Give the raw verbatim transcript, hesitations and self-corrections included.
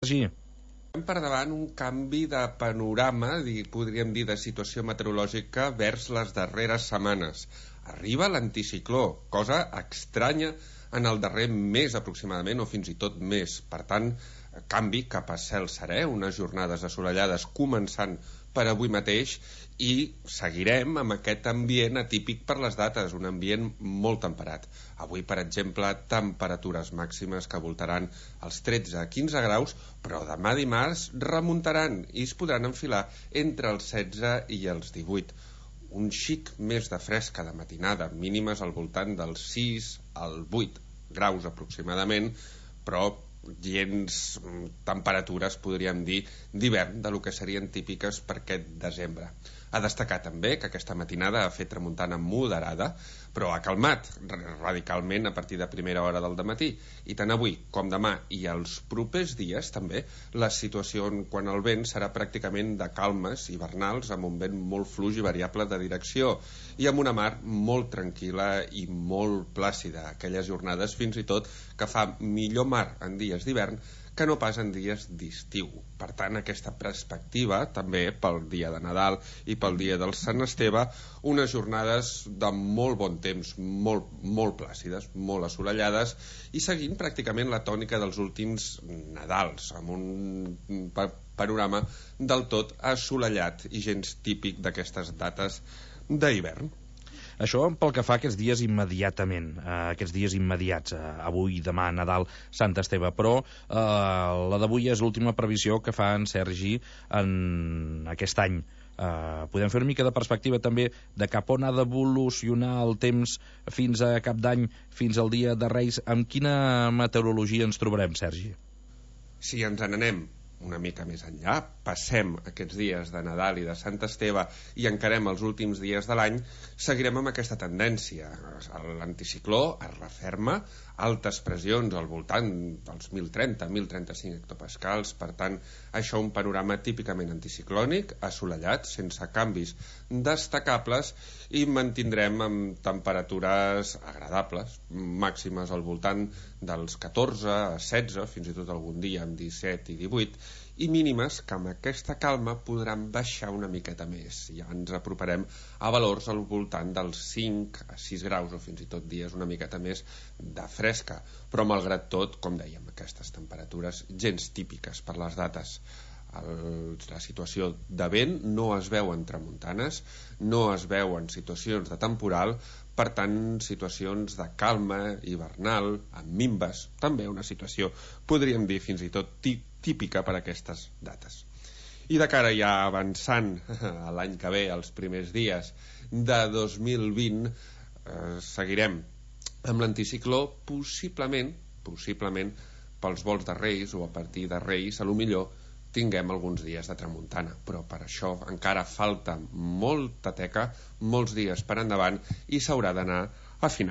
Sergi? Per davant un canvi de panorama, podríem dir, de situació meteorològica vers les darreres setmanes. Arriba l'anticicló, cosa estranya en el darrer mes aproximadament, o fins i tot més. Per tant, canvi cap a cel serè, unes jornades assolellades començant per avui mateix, i seguirem amb aquest ambient atípic per les dates, un ambient molt temperat. Avui, per exemple, temperatures màximes que voltaran els tretze a quinze graus, però demà dimarts remuntaran i es podran enfilar entre els setze i els divuit. Un xic més de fresca de matinada, mínimes al voltant dels sis al vuit graus aproximadament, però gens temperatures, podríem dir, d'hivern, de lo que serien típiques per aquest desembre. Ha destacar també que aquesta matinada ha fet tramuntana moderada, però ha calmat radicalment a partir de primera hora del dematí. I tant avui com demà i els propers dies també la situació quant al vent serà pràcticament de calmes hivernals, amb un vent molt fluix i variable de direcció i amb una mar molt tranquil·la i molt plàcida. Aquelles jornades fins i tot que fa millor mar en dies d'hivern que no pas en dies d'estiu. Per tant, aquesta perspectiva també pel dia de Nadal i pel dia del Sant Esteve, unes jornades de molt bon temps, molt, molt plàcides, molt assolellades, i seguint pràcticament la tònica dels últims Nadals, amb un panorama del tot assolellat i gens típic d'aquestes dates d'hivern. Això pel que fa a aquests dies immediatament, eh, aquests dies immediats, eh, avui, demà, Nadal, Sant Esteve, però eh, la d'avui és l'última previsió que fa en Sergi en aquest any. Eh, podem fer una mica de perspectiva també de cap on ha d'evolucionar el temps fins a cap d'any, fins al dia de Reis. Amb quina meteorologia ens trobarem, Sergi? Si ens n'anem una mica més enllà, passem aquests dies de Nadal i de Sant Esteve i encarem els últims dies de l'any, seguirem amb aquesta tendència. L'anticicló es referma, altes pressions al voltant dels mil trenta a mil trenta-cinc hectopascals, per tant, això un panorama típicament anticiclònic, assolellat, sense canvis destacables, i mantindrem amb temperatures agradables, màximes al voltant dels catorze a setze, fins i tot algun dia amb disset i divuit, i mínimes que amb aquesta calma podran baixar una miqueta més. Ja ens aproparem a valors al voltant dels cinc a sis graus, o fins i tot dies una miqueta més de fresca, però malgrat tot, com dèiem, aquestes temperatures gens típiques per les dates. El, la situació de vent no es veu en tramuntanes, no es veu en situacions de temporal, per tant, situacions de calma hivernal, amb minves, també una situació, podríem dir, fins i tot típica per a aquestes dates. I de cara ja avançant a l'any que ve, els primers dies de dos mil vint, eh, seguirem amb l'anticicló, possiblement, possiblement, pels volts de Reis o a partir de Reis, a lo millor tinguem alguns dies de tramuntana, però per això encara falta molta teca, molts dies per endavant, i s'haurà d'anar afinant.